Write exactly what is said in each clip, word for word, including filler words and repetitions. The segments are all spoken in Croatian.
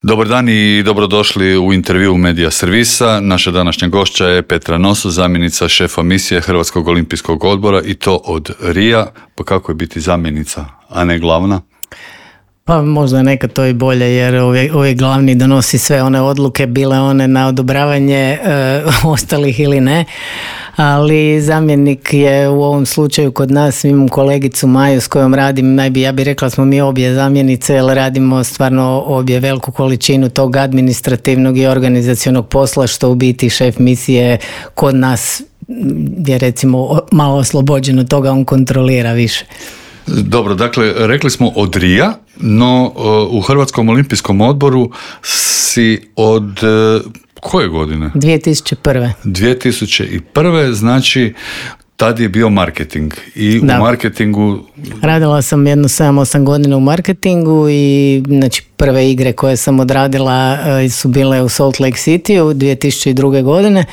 Dobar dan i dobrodošli u intervju Medija Servisa. Naša današnja gošća je Petra Noso, zamjenica šefa misije Hrvatskog olimpijskog odbora i to od Rija. Pa kako je biti zamjenica, a ne glavna? Pa možda nekad to i bolje, jer uvijek, uvijek glavni donosi sve one odluke, bile one na odobravanje e, ostalih ili ne. Ali zamjenik je u ovom slučaju kod nas, imam kolegicu Maju s kojom radim, najbi, ja bih rekla smo mi obje zamjenice, jer radimo stvarno obje veliku količinu tog administrativnog i organizacionog posla, što u biti šef misije kod nas je recimo malo oslobođeno toga, on kontrolira više. Dobro, dakle, rekli smo od Rija, no u Hrvatskom olimpijskom odboru si od koje godine? dvije tisuće prve. dvije tisuće prve, znači tad je bio marketing i da. U marketingu... Radila sam jedno sedam osam godina u marketingu i znači prve igre koje sam odradila su bile u Salt Lake City u dvije tisuće druge. godine.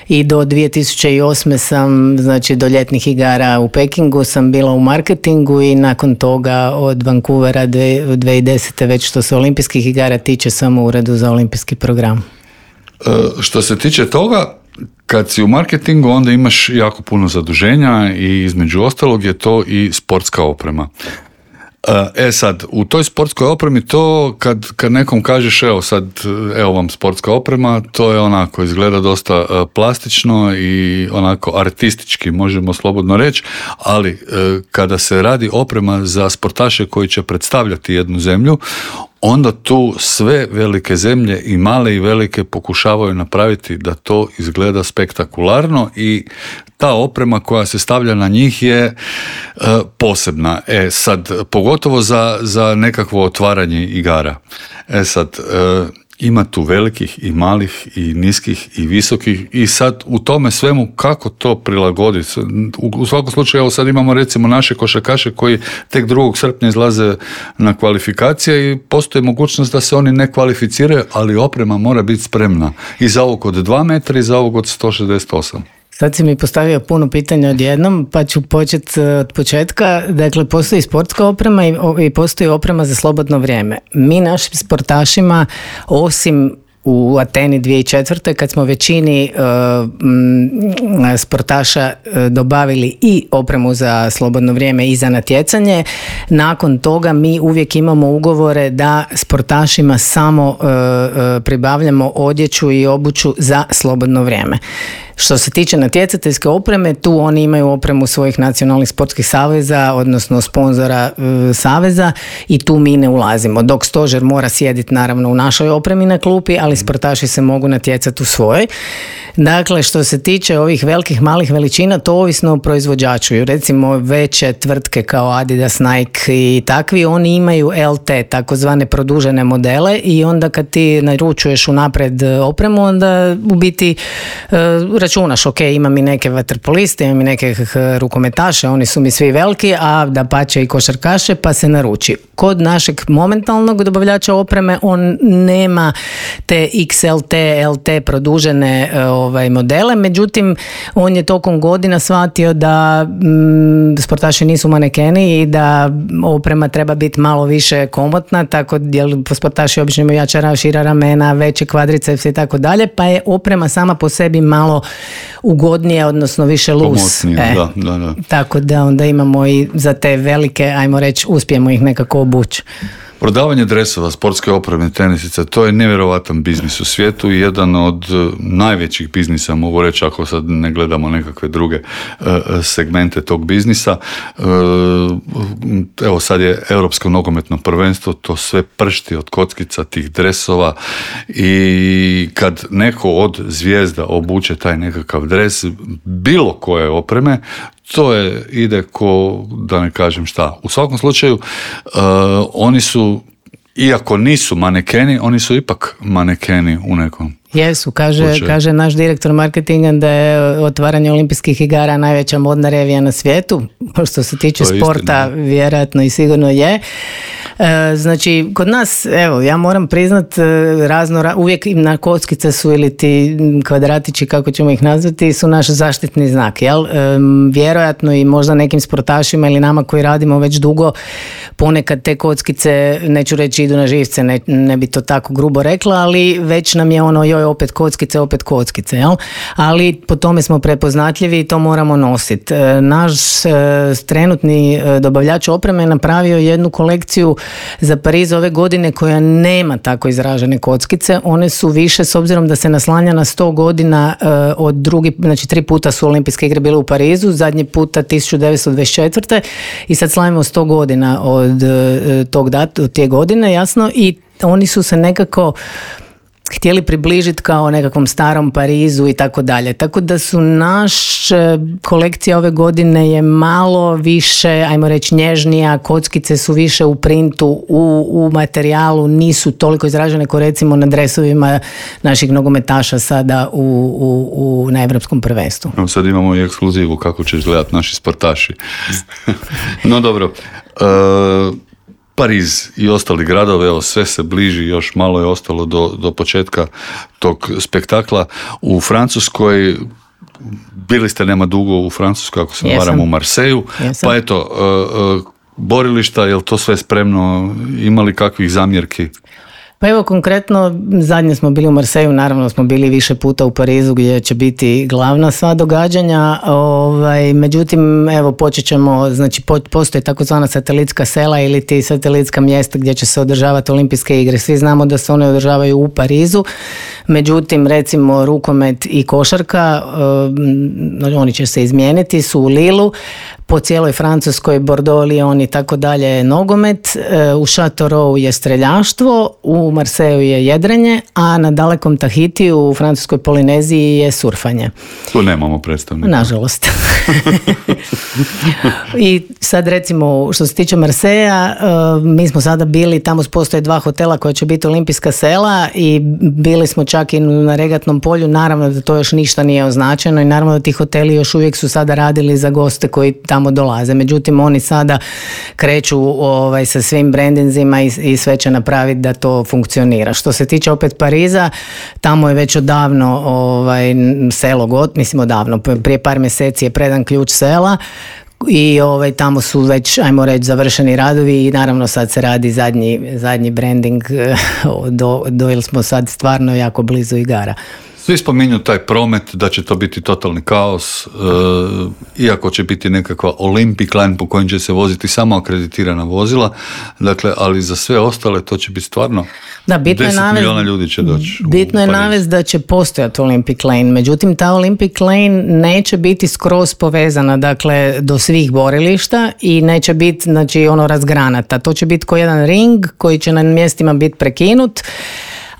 I do dvije tisuće osme sam, znači do ljetnih igara u Pekingu sam bila u marketingu i nakon toga od Vancouvera dvije tisuće desete već što se olimpijskih igara tiče samo u uredu za olimpijski program. E, što se tiče toga, kad si u marketingu onda imaš jako puno zaduženja i između ostalog je to i sportska oprema. E sad, u toj sportskoj opremi to kad, kad nekom kažeš evo sad, evo vam sportska oprema, to je onako, izgleda dosta plastično i onako artistički, možemo slobodno reći, ali kada se radi oprema za sportaše koji će predstavljati jednu zemlju, onda tu sve velike zemlje i male i velike pokušavaju napraviti da to izgleda spektakularno i ta oprema koja se stavlja na njih je e, posebna. E sad, pogotovo za, za nekakvo otvaranje igara. E sad, e, ima tu velikih i malih i niskih i visokih i sad u tome svemu kako to prilagoditi. U, u svakom slučaju, evo sad imamo recimo naše košarkaše koji tek drugog srpnja izlaze na kvalifikacije i postoji mogućnost da se oni ne kvalificiraju, ali oprema mora biti spremna i za ovog od dva metra i za ovog od sto šezdeset osam. Sad si mi postavio puno pitanja odjednom, pa ću početi od početka. Dakle, postoji sportska oprema i, i postoji oprema za slobodno vrijeme. Mi našim sportašima, osim u Ateni dvije tisuće četvrte. kad smo većini uh, m, sportaša uh, dobavili i opremu za slobodno vrijeme i za natjecanje, nakon toga mi uvijek imamo ugovore da sportašima samo uh, uh, pribavljamo odjeću i obuću za slobodno vrijeme. Što se tiče natjecateljske opreme, tu oni imaju opremu svojih nacionalnih sportskih saveza, odnosno sponzora e, saveza i tu mi ne ulazimo. Dok stožer mora sjediti naravno u našoj opremi na klupi, ali sportaši se mogu natjecati u svojoj. Dakle, što se tiče ovih velikih, malih veličina, to ovisno o proizvođaču. Recimo veće tvrtke kao Adidas, Nike i takvi, oni imaju L T, takozvane produžene modele i onda kad ti naručuješ unaprijed opremu, onda u biti e, računaš, ok, imam i neke vaterpoliste, imam i neke rukometaše, oni su mi svi veliki, a da pače i košarkaše, pa se naruči. Kod našeg momentalnog dobavljača opreme, on nema te X L T, L T produžene ovaj, modele, međutim, on je tokom godina shvatio da m, sportaši nisu manekeni i da oprema treba biti malo više komotna, tako jer sportaši obično imaju jača, šira ramena, veće kvadricepse i tako dalje, pa je oprema sama po sebi malo ugodnije, odnosno više lus. E, da, da, da. Tako da onda imamo i za te velike, ajmo reći, uspijemo ih nekako obući. Prodavanje dresova, sportske opreme, tenisice, to je nevjerovatan biznis u svijetu i jedan od najvećih biznisa, mogu reći ako sad ne gledamo nekakve druge uh, segmente tog biznisa. Uh, evo sad je Europsko nogometno prvenstvo, to sve pršti od kockica tih dresova i kad neko od zvijezda obuče taj nekakav dres, bilo koje opreme, to je, ide ko, da ne kažem šta. U svakom slučaju, uh, oni su, iako nisu manekeni, oni su ipak manekeni u nekom. Jesu, kaže, kaže naš direktor marketinga da je otvaranje olimpijskih igara najveća modna revija na svijetu, što se tiče sporta, istina. Vjerojatno i sigurno je. E, znači, kod nas, evo, ja moram priznat, razno, uvijek na kockice su ili ti kvadratići, kako ćemo ih nazvati, su naš zaštitni znak, jel? E, vjerojatno i možda nekim sportašima ili nama koji radimo već dugo, ponekad te kockice, neću reći idu na živce, ne, ne bi to tako grubo rekla, ali već nam je ono, joj, opet kockice, opet kockice, jel? Ali po tome smo prepoznatljivi i to moramo nositi. E, naš e, trenutni e, dobavljač opreme je napravio jednu kolekciju za Pariz ove godine koja nema tako izražene kockice. One su više, s obzirom da se naslanja na sto godina uh, od drugi, znači tri puta su olimpijske igre bile u Parizu, zadnji puta tisuću devetsto dvadeset četvrte i sad slavimo sto godina od uh, tog dat, od te godine, jasno, i oni su se nekako htjeli približiti kao nekakvom starom Parizu i tako dalje. Tako da su naše kolekcije ove godine je malo više, ajmo reći, nježnija, kockice su više u printu, u, u materijalu, nisu toliko izražene kao recimo na dresovima naših nogometaša sada u, u, u, na Europskom prvenstvu. Evo sad imamo i ekskluzivu kako će izgledati naši sportaši. No dobro, uh... Pariz i ostali gradovi, evo sve se bliži, još malo je ostalo do, do početka tog spektakla. U Francuskoj, bili ste nema dugo u Francuskoj, ako se ne varam, u Marseju, Jesam. Pa eto, uh, uh, borilišta, je li to sve spremno, imali kakvih zamjerki? Pa evo konkretno, zadnje smo bili u Marseju, naravno smo bili više puta u Parizu gdje će biti glavna sva događanja, ovaj, međutim evo počet ćemo, znači postoji takozvana satelitska sela ili ti satelitska mjesta gdje će se održavati olimpijske igre. Svi znamo da se one održavaju u Parizu, međutim recimo rukomet i košarka, um, oni će se izmijeniti, su u Lilu, po cijeloj Francuskoj, Bordeaux, Lyon i tako dalje nogomet, u Châteauroux je streljaštvo, u Marseju je jedrenje, a na dalekom Tahitiju u francuskoj Polineziji je surfanje. Tu nemamo predstavnika. Nažalost. I sad recimo što se tiče Marseja, mi smo sada bili, tamo postoje dva hotela koja će biti olimpijska sela i bili smo čak i na regatnom polju, naravno da to još ništa nije označeno i naravno da ti hoteli još uvijek su sada radili za goste koji tamo dolaze. Međutim, oni sada kreću ovaj, sa svim brandinzima i, i sve će napraviti da to funkcionira. Što se tiče opet Pariza, tamo je već odavno ovaj, selo got, mislim odavno, prije par mjeseci je predan ključ sela i ovaj, tamo su već, ajmo reći, završeni radovi i naravno sad se radi zadnji, zadnji branding do, do ili smo sad stvarno jako blizu igara. Svi spominju taj promet, da će to biti totalni kaos, e, iako će biti nekakva Olympic line po kojim će se voziti samo akreditirana vozila, dakle, ali za sve ostale to će biti stvarno da, bitno deset navest, milijuna ljudi će doći. Bitno je navest da će postojati Olympic lane, međutim ta Olympic lane neće biti skroz povezana, dakle, do svih borilišta i neće biti, znači, ono razgranata. To će biti ko jedan ring koji će na mjestima biti prekinut,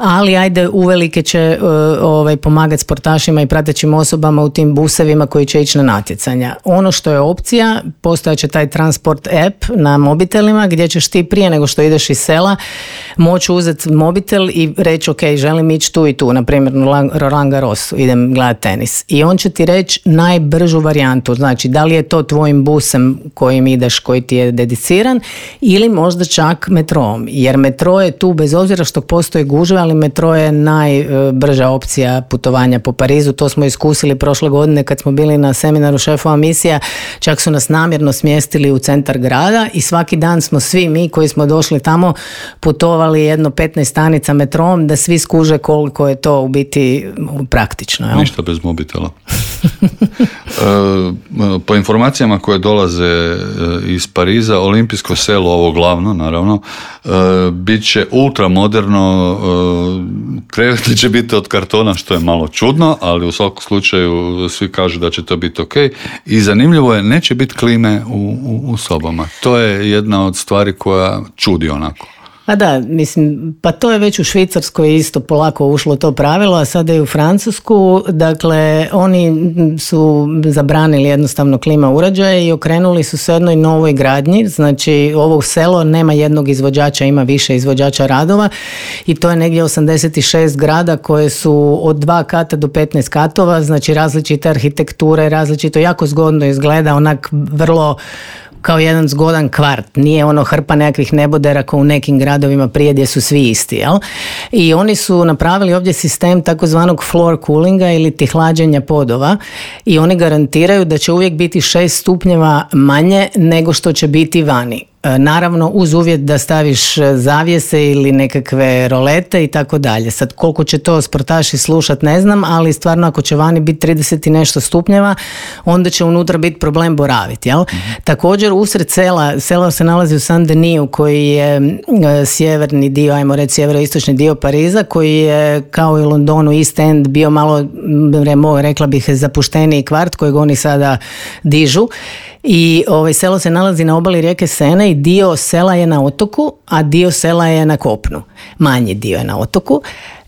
ali ajde uvelike će uh, ovaj, pomagati sportašima i pratećim osobama u tim busevima koji će ići na natjecanja. Ono što je opcija, postojaće taj transport app na mobitelima gdje ćeš ti prije nego što ideš iz sela moći uzeti mobitel i reći ok, želim ići tu i tu, na primjer na Roland Garrosu, idem gledati tenis. I on će ti reći najbržu varijantu, znači da li je to tvojim busem kojim ideš, koji ti je dediciran ili možda čak metrom, jer metro je tu bez obzira što postoje gužve, ali metro je najbrža opcija putovanja po Parizu. To smo iskusili prošle godine kad smo bili na seminaru šefova misija, čak su nas namjerno smjestili u centar grada i svaki dan smo svi mi koji smo došli tamo putovali jedno petnaest stanica metrom da svi skuže koliko je to u biti praktično. Jel? Ništa bez mobitela. Po informacijama koje dolaze iz Pariza, olimpijsko selo, ovo glavno naravno, bit će ultramoderno, kreveti će biti od kartona, što je malo čudno, ali u svakom slučaju svi kažu da će to biti ok. I zanimljivo je, neće biti klime u, u, u sobama. To je jedna od stvari koja čudi onako. Pa da, mislim, pa to je već u Švicarskoj isto polako ušlo to pravilo, a sada i u Francusku, dakle, oni su zabranili jednostavno klima uređaje i okrenuli su se jednoj novoj gradnji, znači ovo selo nema jednog izvođača, ima više izvođača radova i to je negdje osamdeset šest grada koje su od dva kata do petnaest katova, znači različite arhitekture, različito, jako zgodno izgleda, onak vrlo kao jedan zgodan kvart, nije ono hrpa nekakvih nebodera kao u nekim gradovima prije gdje su svi isti, jel? I oni su napravili ovdje sistem takozvanog floor coolinga ili ti hlađenja podova i oni garantiraju da će uvijek biti šest stupnjeva manje nego što će biti vani. Naravno uz uvjet da staviš zavjese ili nekakve rolete i tako dalje. Sad koliko će to sportaši slušat ne znam, ali stvarno ako će vani biti trideset i nešto stupnjeva, onda će unutra biti problem boraviti, jel? Mm-hmm. Također usred sela, selo se nalazi u Saint-Denis koji je e, sjeverni dio, ajmo reći sjeveroistočni dio Pariza, koji je kao i u Londonu East End bio malo, remo, rekla bih, zapušteniji kvart kojeg oni sada dižu. I ovaj, selo se nalazi na obali rijeke Sene i dio sela je na otoku, a dio sela je na kopnu. Manji dio je na otoku.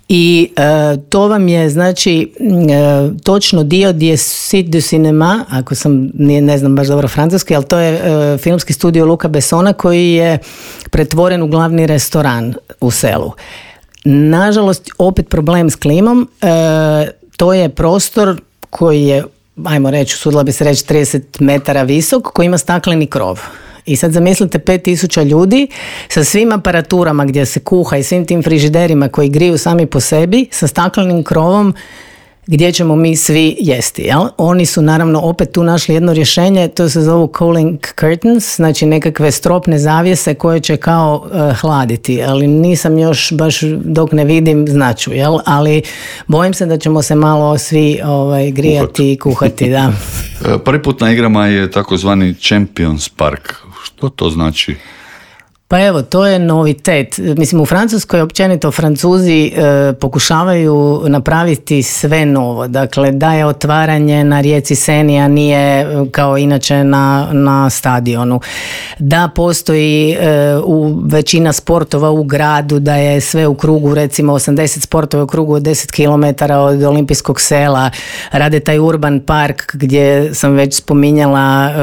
I e, to vam je znači e, točno dio gdje je Site du Cinéma, ako sam nije, ne znam baš dobro francuski, ali to je e, filmski studio Luca Bessona koji je pretvoren u glavni restoran u selu. Nažalost, opet problem s klimom, e, to je prostor koji je, ajmo reći, usudila bi se reći trideset metara visok, koji ima stakleni krov. I sad zamislite pet tisuća ljudi sa svim aparaturama gdje se kuha i svim tim frižiderima koji griju sami po sebi sa staklenim krovom gdje ćemo mi svi jesti. Jel? Oni su naravno opet tu našli jedno rješenje, to se zovu cooling curtains, znači nekakve stropne zavjese koje će kao uh, hladiti, ali nisam još baš dok ne vidim značu, jel? Ali bojim se da ćemo se malo svi ovaj, grijati i kuhati. Da. Prvi put na igrama je takozvani Champions Park. Što to znači? Pa evo, to je novitet. Mislim, u Francuskoj općenito Francuzi e, pokušavaju napraviti sve novo. Dakle, da je otvaranje na rijeci Seni, a nije kao inače na, na stadionu. Da postoji e, u većina sportova u gradu, da je sve u krugu, recimo osamdeset sportova u krugu od deset kilometara od olimpijskog sela. Rade taj urban park gdje sam već spominjala e,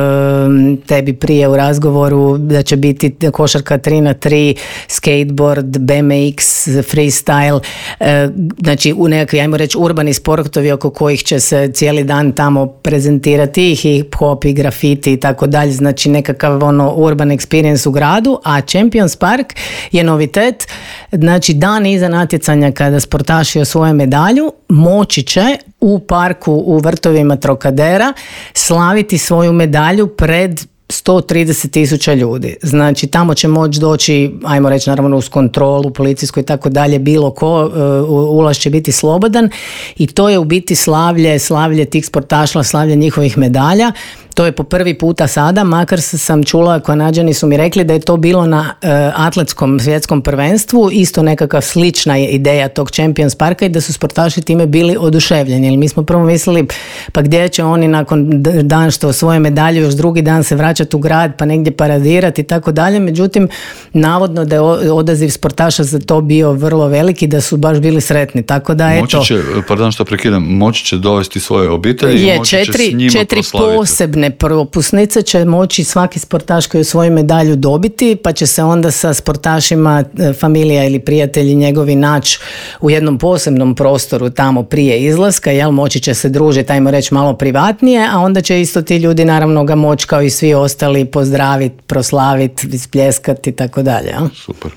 tebi prije u razgovoru da će biti košarka tri na tri, skateboard, B M X, freestyle, e, znači u nekakvi, ajmo reći, urbani sportovi oko kojih će se cijeli dan tamo prezentirati i hip-hop i grafiti i tako dalje, znači nekakav ono urban experience u gradu, a Champions Park je novitet, znači dan iza natjecanja kada sportaši osvoje medalju, moći će u parku u vrtovima Trocadera slaviti svoju medalju pred sto trideset tisuća ljudi. Znači tamo će moći doći, ajmo reći naravno uz kontrolu policijsku i tako dalje, bilo ko, uh, ulaz će biti slobodan i to je u biti slavlje, slavlje tih sportaša, slavlje njihovih medalja. To je po prvi puta sada, makar sam čula, Kanađani su mi rekli da je to bilo na uh, atletskom svjetskom prvenstvu, isto nekakva slična je ideja tog Champions Parka i da su sportaši time bili oduševljeni. Jer mi smo prvo mislili, pa gdje će oni nakon dan što osvoje medalju još drugi dan se vraćati u grad pa negdje paradirati i tako dalje. Međutim, navodno da je odaziv sportaša za to bio vrlo veliki, da su baš bili sretni. Tako da moći eto, će, pardon što prekidam, moći će dovesti svoje obitelji je, i moći četiri, će s njima četiri proslaviti. Posebne propusnice će moći svaki sportaš koji svoju medalju dobiti, pa će se onda sa sportašima familija ili prijatelji njegovi naći u jednom posebnom prostoru tamo prije izlaska, jel, moći će se družiti, ajmo reći malo privatnije, a onda će isto ti ljudi naravno ga moći kao i svi ostali pozdraviti, proslaviti, ispljeskati i tako dalje. Super.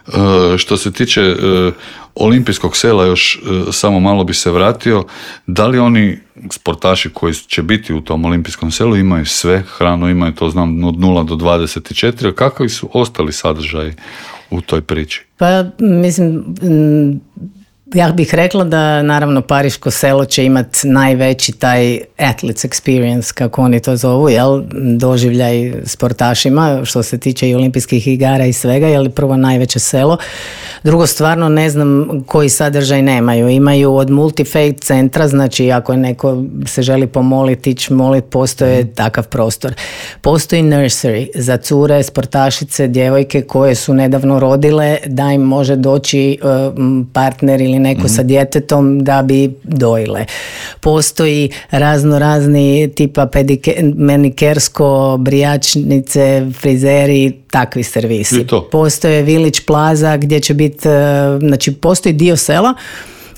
E, što se tiče e, olimpijskog sela, još e, samo malo bi se vratio, da li oni sportaši koji će biti u tom olimpijskom selu imaju sve, hranu imaju, to znam, od nula do dvadeset četiri, a kakvi su ostali sadržaji u toj priči? Pa mislim, ja bih rekla da naravno Pariško selo će imati najveći taj athletes experience, kako oni to zovu, jel, doživljaj sportašima što se tiče i olimpijskih igara i svega, jel, prvo najveće selo. Drugo, stvarno ne znam koji sadržaj nemaju. Imaju od multi-faith centra, znači ako je neko se želi pomoliti, ići moliti, postoje takav prostor. Postoji nursery za cure, sportašice, djevojke koje su nedavno rodile, da im može doći um, partner ili neko mm-hmm. sa djetetom da bi dojile. Postoji razno razni tipa pedike, manikersko, brijačnice, frizeri, takvi servisi. Postoje Village Plaza gdje će biti, znači postoji dio sela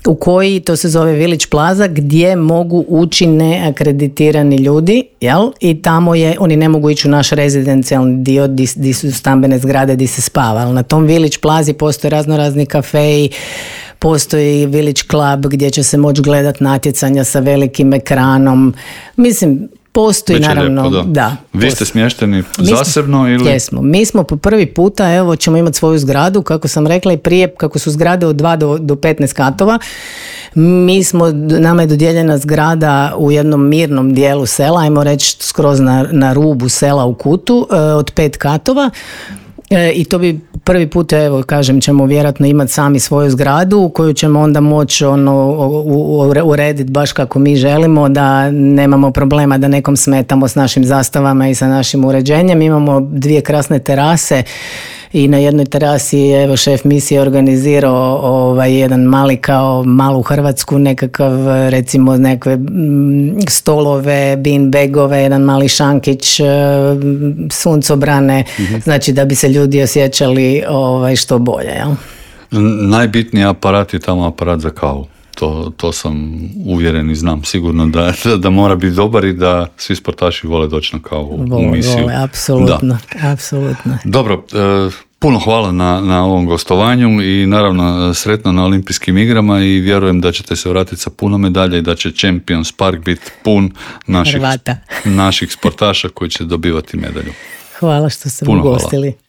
u koji, to se zove Village Plaza, gdje mogu ući neakreditirani ljudi, jel? I tamo je, oni ne mogu ići u naš rezidencijalni dio gdje su stambene zgrade gdje se spava, ali na tom Village Plazi postoje razno razni kafeji, postoji Village Club gdje će se moći gledati natjecanja sa velikim ekranom. Mislim, postoji Već naravno, lijepo, da. da. Vi postoji. ste smješteni Mi zasebno smo, ili? Jesmo. Mi smo po prvi puta, evo, ćemo imati svoju zgradu, kako sam rekla i prije, kako su zgrade od dva do, do petnaest katova. Mi smo, nama je dodijeljena zgrada u jednom mirnom dijelu sela, ajmo reći skroz na, na rubu sela u kutu, od pet katova. E, i to bi prvi put, evo kažem, ćemo vjerojatno imati sami svoju zgradu u koju ćemo onda moći ono, urediti baš kako mi želimo, da nemamo problema da nekom smetamo s našim zastavama i sa našim uređenjem. Imamo dvije krasne terase i na jednoj terasi je, evo, šef misije organizirao ovaj, jedan mali, kao malu Hrvatsku, nekakav, recimo nekakve m, stolove, beanbagove, jedan mali šankić, suncobrane, mm-hmm. znači da bi se ljudi osjećali ovaj, što bolje, jel? Najbitniji aparat je tamo aparat za kavu. To, to sam uvjeren i znam sigurno da, da mora biti dobar i da svi sportaši vole doći na kavu vole, u misiju. Vole, apsolutno, apsolutno. Dobro, e, puno hvala na, na ovom gostovanju i naravno sretno na olimpijskim igrama i vjerujem da ćete se vratiti sa puno medalja i da će Champions Park biti pun naših, naših sportaša koji će dobivati medalju. Hvala što ste puno ugostili. Hvala.